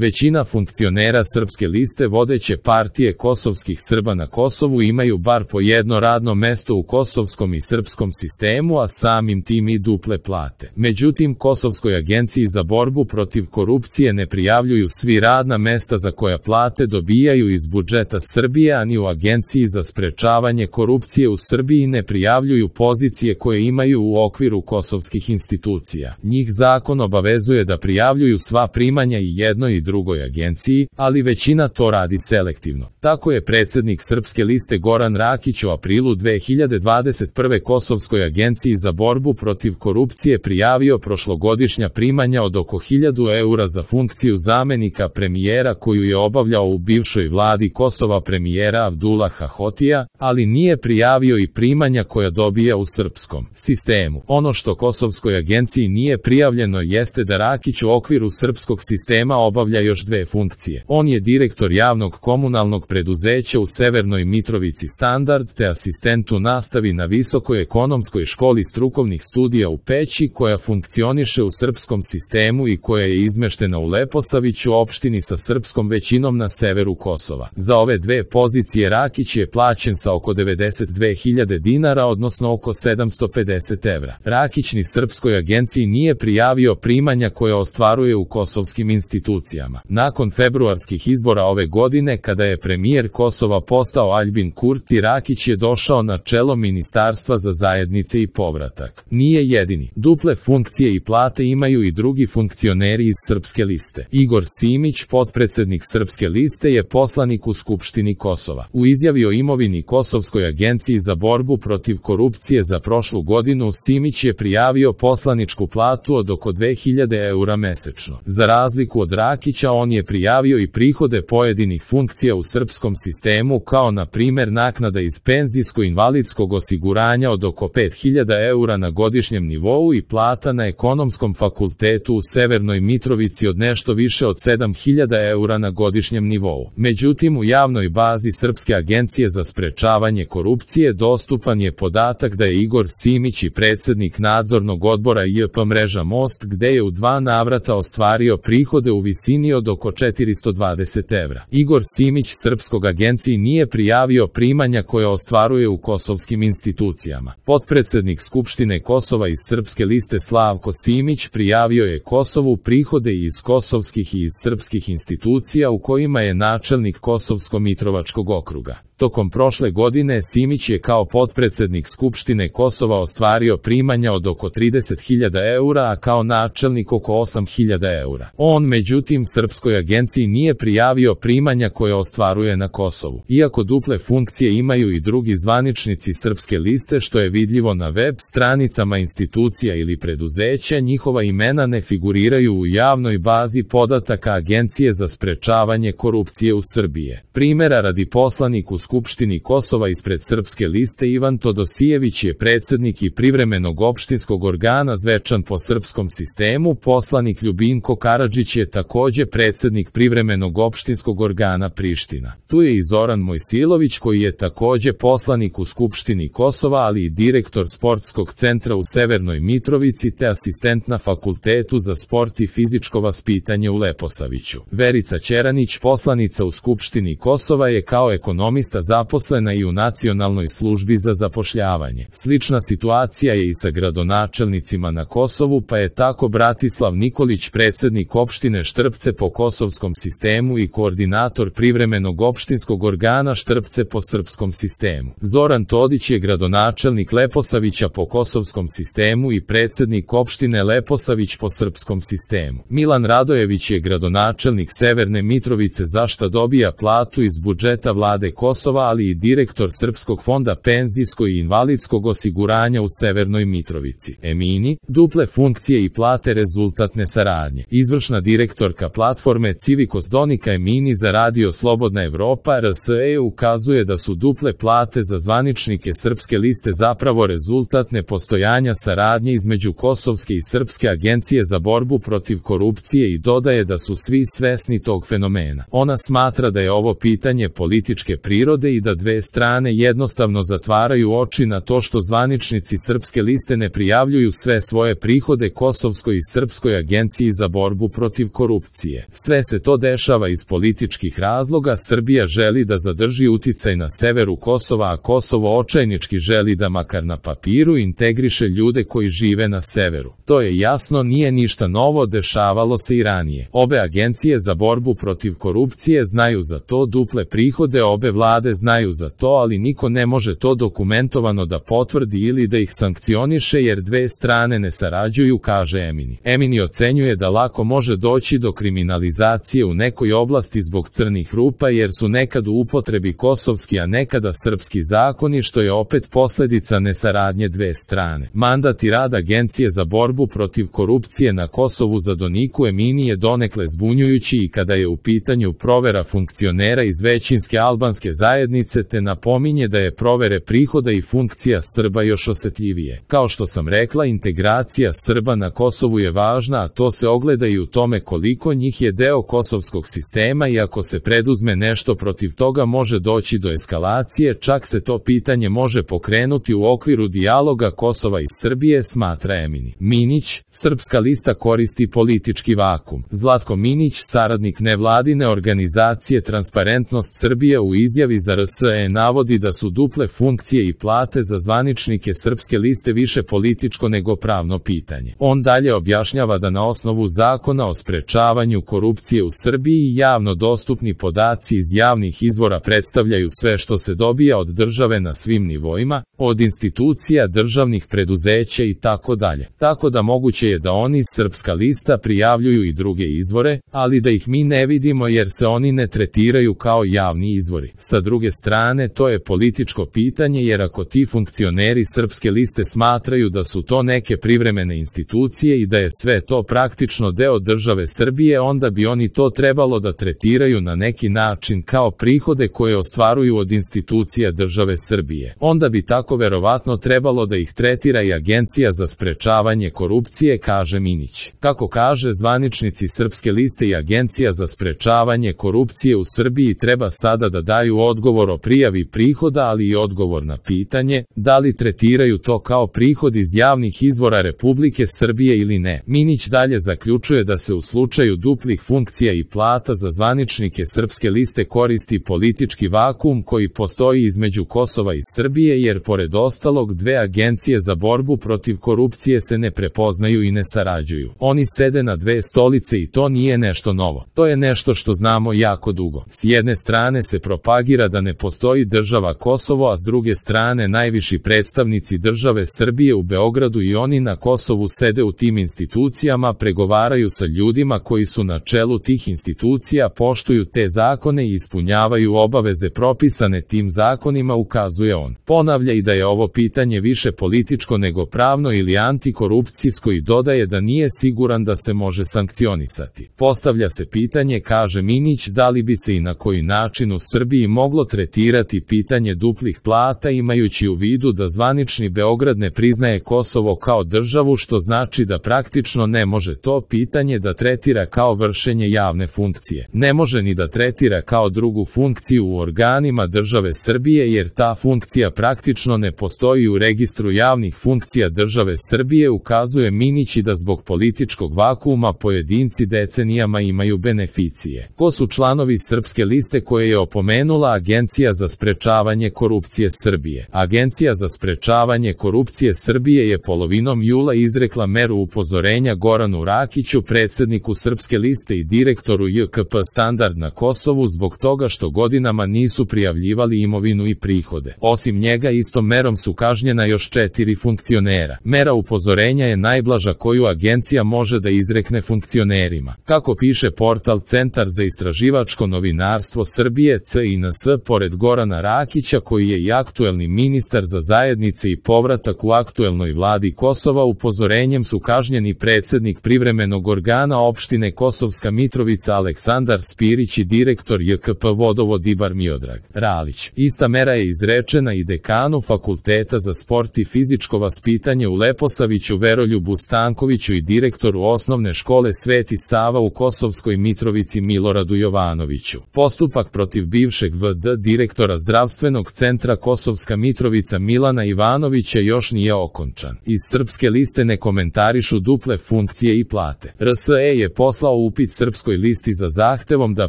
Većina funkcionera Srpske liste vodeće partije kosovskih Srba na Kosovu imaju bar po jedno radno mesto u kosovskom i srpskom sistemu, a samim tim i duple plate. Međutim, Kosovskoj agenciji za borbu protiv korupcije ne prijavljuju svi radna mesta za koja plate dobijaju iz budžeta Srbije, a ni u Agenciji za sprečavanje korupcije u Srbiji ne prijavljuju pozicije koje imaju u okviru kosovskih institucija. Njih zakon obavezuje da prijavljuju sva primanja i jednoj i drugoj agenciji, ali većina to radi selektivno. Tako je predsjednik Srpske liste Goran Rakić u aprilu 2021. Kosovskoj agenciji za borbu protiv korupcije prijavio prošlogodišnja primanja od oko 1000 eura za funkciju zamenika premijera koju je obavljao u bivšoj vladi Kosova premijera Abdullaha Hotija, ali nije prijavio i primanja koja dobija u srpskom sistemu. Ono što Kosovskoj agenciji nije prijavljeno jeste da Rakić u okviru srpskog sistema obavlja još dve funkcije. On je direktor javnog komunalnog preduzeća u Severnoj Mitrovici Standard te asistent u nastavi na Visokoj ekonomskoj školi strukovnih studija u Peći koja funkcioniše u srpskom sistemu i koja je izmeštena u Leposaviću, opštini sa srpskom većinom na severu Kosova. Za ove dve pozicije Rakić je plaćen sa oko 92.000 dinara, odnosno oko 750 evra. Rakić ni Srpskoj agenciji nije prijavio primanja koje ostvaruje u kosovskim institucijama. Nakon februarskih izbora ove godine, kada je premijer Kosova postao Aljbin Kurti, Rakić je došao na čelo Ministarstva za zajednice i povratak. Nije jedini. Duple funkcije i plate imaju i drugi funkcioneri iz Srpske liste. Igor Simić, potpredsednik Srpske liste, je poslanik u Skupštini Kosova. U izjavi o imovini Kosovskoj agenciji za borbu protiv korupcije za prošlu godinu Simić je prijavio poslaničku platu od oko 2000 eura mesečno. Za razliku od Rakića, on je prijavio i prihode pojedinih funkcija u srpskom sistemu, kao na primjer naknada iz penzijsko-invalidskog osiguranja od oko 5000 eura na godišnjem nivou i plata na Ekonomskom fakultetu u Severnoj Mitrovici od nešto više od 7000 eura na godišnjem nivou. Međutim, u javnoj bazi Srpske agencije za sprečavanje korupcije dostupan je podatak da je Igor Simić i predsjednik nadzornog odbora JP mreža Most, gde je u 2 navrata ostvario prihode u visini od oko 420 evra. Igor Simić Srpskog agenciji nije prijavio primanja koje ostvaruje u kosovskim institucijama. Potpredsednik Skupštine Kosova iz Srpske liste Slavko Simić prijavio je Kosovu prihode iz kosovskih i iz srpskih institucija u kojima je načelnik Kosovsko-Mitrovačkog okruga. Tokom prošle godine Simić je kao potpredsednik Skupštine Kosova ostvario primanja od oko 30.000 eura, a kao načelnik oko 8.000 eura. On međutim Srpskoj agenciji nije prijavio primanja koje ostvaruje na Kosovu. Iako duple funkcije imaju i drugi zvaničnici Srpske liste, što je vidljivo na web stranicama institucija ili preduzeća, njihova imena ne figuriraju u javnoj bazi podataka Agencije za sprečavanje korupcije u Srbije. Primera radi, poslanik u Skupštini Kosova ispred Srpske liste Ivan Todosijević je predsjednik i privremenog opštinskog organa Zvečan po srpskom sistemu, poslanik Ljubinko Karadžić je također predsjednik privremenog opštinskog organa Priština. Tu je i Zoran Mojsilović koji je također poslanik u Skupštini Kosova, ali i direktor sportskog centra u Severnoj Mitrovici te asistent na Fakultetu za sport i fizičko vaspitanje u Leposaviću. Verica Ćeranić, poslanica u Skupštini Kosova, je kao ekonomista zaposlena i u Nacionalnoj službi za zapošljavanje. Slična situacija je i sa gradonačelnicima na Kosovu, pa je tako Bratislav Nikolić predsjednik opštine Štrpce po kosovskom sistemu i koordinator privremenog opštinskog organa Štrpce po srpskom sistemu. Zoran Todić je gradonačelnik Leposavića po kosovskom sistemu i predsjednik opštine Leposavić po srpskom sistemu. Milan Radojević je gradonačelnik Severne Mitrovice, za šta dobija platu iz budžeta vlade Kosova, ali i direktor Srpskog fonda penzijskog i invalidskog osiguranja u Severnoj Mitrovici. Emini, duple funkcije i plate rezultat nesaradnje. Izvršna direktorka platforme Civikos Donika Emini za Radio Slobodna Evropa RSE ukazuje da su duple plate za zvaničnike Srpske liste zapravo rezultat nepostojanja saradnje između Kosovske i Srpske agencije za borbu protiv korupcije i dodaje da su svi svesni tog fenomena. Ona smatra da je ovo pitanje političke prirode prirode i da dve strane jednostavno zatvaraju oči na to što zvaničnici Srpske liste ne prijavljuju sve svoje prihode Kosovskoj i Srpskoj agenciji za borbu protiv korupcije. Sve se to dešava iz političkih razloga. Srbija želi da zadrži uticaj na severu Kosova, a Kosovo očajnički želi da makar na papiru integriše ljude koji žive na severu. To je jasno, nije ništa novo, dešavalo se i ranije. Obe agencije za borbu protiv korupcije znaju za to, duple prihode obe vlade znaju za to, ali niko ne može to dokumentovano da potvrdi ili da ih sankcioniše jer dve strane ne sarađuju, kaže Emini. Emini ocenjuje da lako može doći do kriminalizacije u nekoj oblasti zbog crnih rupa jer su nekad u upotrebi kosovski a nekada srpski zakoni, što je opet posledica nesaradnje dve strane. Mandat i rad Agencije za borbu protiv korupcije na Kosovu za Doniku Emini je donekle zbunjujući i kada je u pitanju provera funkcionera iz većinske albanske zajednice, te napominje da je provere prihoda i funkcija Srba još osetljivije. Kao što sam rekla, integracija Srba na Kosovu je važna, a to se ogleda i u tome koliko njih je deo kosovskog sistema i ako se preduzme nešto protiv toga može doći do eskalacije, čak se to pitanje može pokrenuti u okviru dijaloga Kosova i Srbije, smatra Emini. Minić, Srpska lista koristi politički vakum. Zlatko Minić, saradnik nevladine organizacije Transparentnost Srbije, u izjavi za RSE navodi da su duple funkcije i plate za zvaničnike Srpske liste više političko nego pravno pitanje. On dalje objašnjava da na osnovu zakona o sprečavanju korupcije u Srbiji javno dostupni podaci iz javnih izvora predstavljaju sve što se dobija od države na svim nivoima, od institucija, državnih preduzeća i tako dalje. Tako da moguće je da oni, Srpska lista, prijavljuju i druge izvore, ali da ih mi ne vidimo jer se oni ne tretiraju kao javni izvori. Sa druge strane, to je političko pitanje jer ako ti funkcioneri Srpske liste smatraju da su to neke privremene institucije i da je sve to praktično deo države Srbije, onda bi oni to trebalo da tretiraju na neki način kao prihode koje ostvaruju od institucija države Srbije. Onda bi tako verovatno trebalo da ih tretira i Agencija za sprečavanje korupcije, kaže Minić. Kako kaže, zvaničnici Srpske liste i Agencija za sprečavanje korupcije u Srbiji treba sada da daju odgovor o prijavi prihoda, ali i odgovor na pitanje da li tretiraju to kao prihod iz javnih izvora Republike Srbije ili ne. Minić dalje zaključuje da se u slučaju duplih funkcija i plata za zvaničnike Srpske liste koristi politički vakum koji postoji između Kosova i Srbije jer pored ostalog dve agencije za borbu protiv korupcije se ne prepoznaju i ne sarađuju. Oni sede na dve stolice i to nije nešto novo. To je nešto što znamo jako dugo. S jedne strane se propagira da ne postoji država Kosovo, a s druge strane najviši predstavnici države Srbije u Beogradu i oni na Kosovu sede u tim institucijama, pregovaraju sa ljudima koji su na čelu tih institucija, poštuju te zakone i ispunjavaju obaveze propisane tim zakonima, ukazuje on. Ponavlja i da je ovo pitanje više političko nego pravno ili antikorupcijsko i dodaje da nije siguran da se može sankcionisati. Postavlja se pitanje, kaže Minić, da li bi se i na koji način u Srbiji moglo tretirati pitanje duplih plata imajući u vidu da zvanični Beograd ne priznaje Kosovo kao državu, što znači da praktično ne može to pitanje da tretira kao vršenje javne funkcije. Ne može ni da tretira kao drugu funkciju u organima države Srbije jer ta funkcija praktično ne postoji u registru javnih funkcija države Srbije, ukazuje Minić, i da zbog političkog vakuma pojedinci decenijama imaju beneficije. Ko su članovi Srpske liste koje je opomenula Agencija za sprečavanje korupcije Srbije? Agencija za sprečavanje korupcije Srbije je polovinom jula izrekla meru upozorenja Goranu Rakiću, predsedniku Srpske liste i direktoru JKP Standard na Kosovu, zbog toga što godinama nisu prijavljivali imovinu i prihode. Osim njega, istom merom su kažnjena još 4 funkcionera. Mera upozorenja je najblaža koju agencija može da izrekne funkcionerima. Kako piše portal Centar za istraživačko novinarstvo Srbije CINS, pored Gorana Rakića, koji je i aktuelni ministar za zajednice i povratak u aktuelnoj vladi Kosova, upozorenjem su kažnjeni predsednik privremenog organa opštine Kosovska Mitrovica Aleksandar Spirić i direktor JKP Vodovod Ibar Miodrag Ralić. Ista mera je izrečena i dekanu Fakulteta za sport i fizičko vaspitanje u Leposaviću Veroljubu Stankoviću i direktoru osnovne škole Sveti Sava u Kosovskoj Mitrovici Miloradu Jovanoviću. Postupak protiv bivšeg VD direktora zdravstvenog centra Kosovska Mitrovica Milana Ivanovića još nije okončan. Iz Srpske liste ne komentarišu duple funkcije i plate. RSE je poslao upit Srpskoj listi za zahtevom da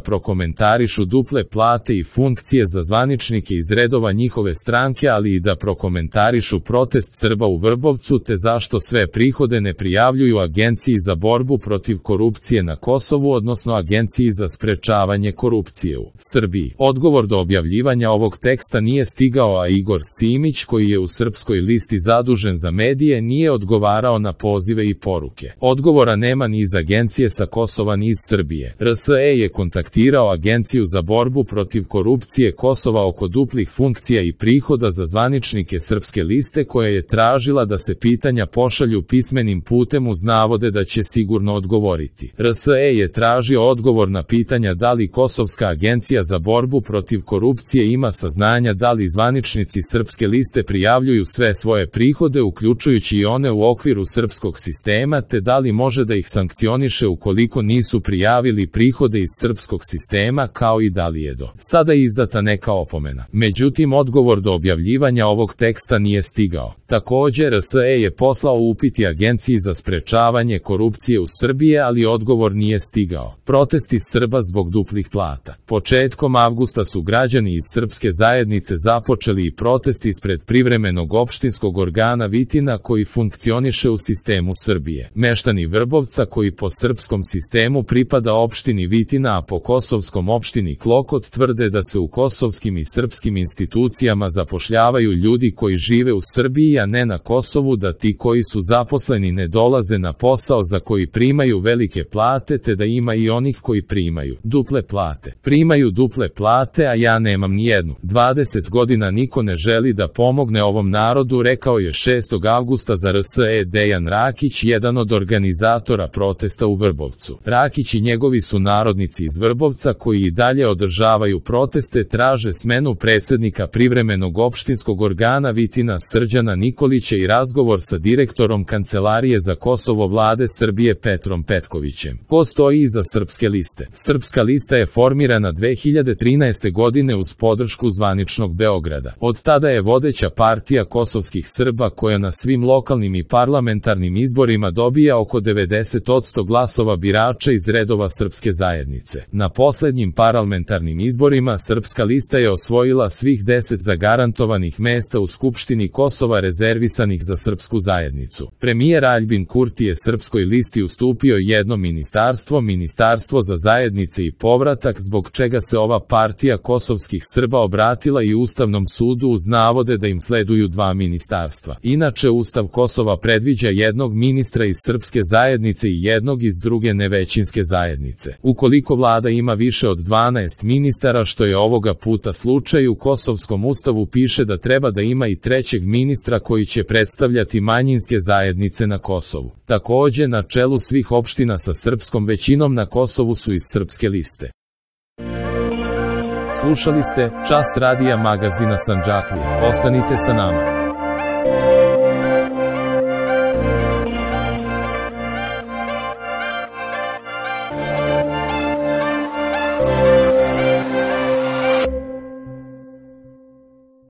prokomentarišu duple plate i funkcije za zvaničnike iz redova njihove stranke, ali i da prokomentarišu protest Srba u Vrbovcu te zašto sve prihode ne prijavljuju Agenciji za borbu protiv korupcije na Kosovu, odnosno Agenciji za sprečavanje korupcije u Srbiji. Odgovor do objavljivanja ovog teksta nije stigao, a Igor Simić, koji je u Srpskoj listi zadužen za medije, nije odgovarao na pozive i poruke. Odgovora nema ni iz Agencije sa Kosova ni iz Srbije. RSE je kontaktirao Agenciju za borbu protiv korupcije Kosova oko duplih funkcija i prihoda za zvaničnike Srpske liste, koja je tražila da se pitanja pošalju pismenim putem uz navode da će sigurno odgovoriti. RSE je tražio odgovor na pitanja da li Kosovska agencija za borbu protiv korupcije ima saznanja da li zvaničnici Srpske liste prijavljuju sve svoje prihode, uključujući i one u okviru srpskog sistema, te da li može da ih sankcioniše ukoliko nisu prijavili prihode iz srpskog sistema, kao i da li je do sada izdata neka opomena. Međutim, odgovor do objavljivanja ovog teksta nije stigao. Također, RSE je poslao upit i Agenciji za sprečavanje korupcije u Srbiji, ali odgovor nije stigao. Protesti Srba zbog duplih plata. Početkom avgusta su građani iz srpske zajednice započeli i protest ispred privremenog opštinskog organa Vitina koji funkcioniše u sistemu Srbije. Meštani Vrbovca, koji po srpskom sistemu pripada opštini Vitina, a po kosovskom opštini Klokot, tvrde da se u kosovskim i srpskim institucijama zapošljavaju ljudi koji žive u Srbiji, a ne na Kosovu, da ti koji su zaposleni ne dolaze na posao za koji primaju velike plate, te da ima i onih koji primaju duple plate. Primaju duple plate, a ja nemam ni jednu. 20 godina niko ne želi da pomogne ovom narodu, rekao je 6. avgusta za RSE Dejan Rakić, jedan od organizatora protesta u Vrbovcu. Rakić i njegovi su narodnici iz Vrbovca koji i dalje održavaju proteste, traže smenu predsednika privremenog opštinskog organa Vitina Srđana Nikolića i razgovor sa direktorom Kancelarije za Kosovo vlade Srbije Petrom Petkovićem. Ko stoji iza Srpske liste? Srpska lista je formirana 2013. godine uz podršku zvaničnog Beograda. Od tada je vodeća partija kosovskih Srba koja na svim lokalnim i parlamentarnim izborima dobija oko 90% glasova birača iz redova srpske zajednice. Na poslednjim parlamentarnim izborima Srpska lista je osvojila svih 10 zagarantovanih mesta u Skupštini Kosova rezervisanih za srpsku zajednicu. Premijer Aljbin Kurti je Srpskoj listi ustupio jedno ministarstvo, Ministarstvo za zajednice i povratak, zbog čega se ova partija kosovskih Srba obratila i Ustavnom sudu uz navode da im sleduju dva ministarstva. Inače, Ustav Kosova predviđa jednog ministra iz srpske zajednice i jednog iz druge nevećinske zajednice. Ukoliko vlada ima više od 12 ministara, što je ovoga puta slučaj, u Kosovskom ustavu piše da treba da ima i trećeg ministra koji će predstavljati manjinske zajednice na Kosovu. Takođe, na čelu svih opština sa srpskom većinom na Kosovu su iz Srpske liste. Slušali ste Čas radija magazina Sandžaklije. Ostanite sa nama.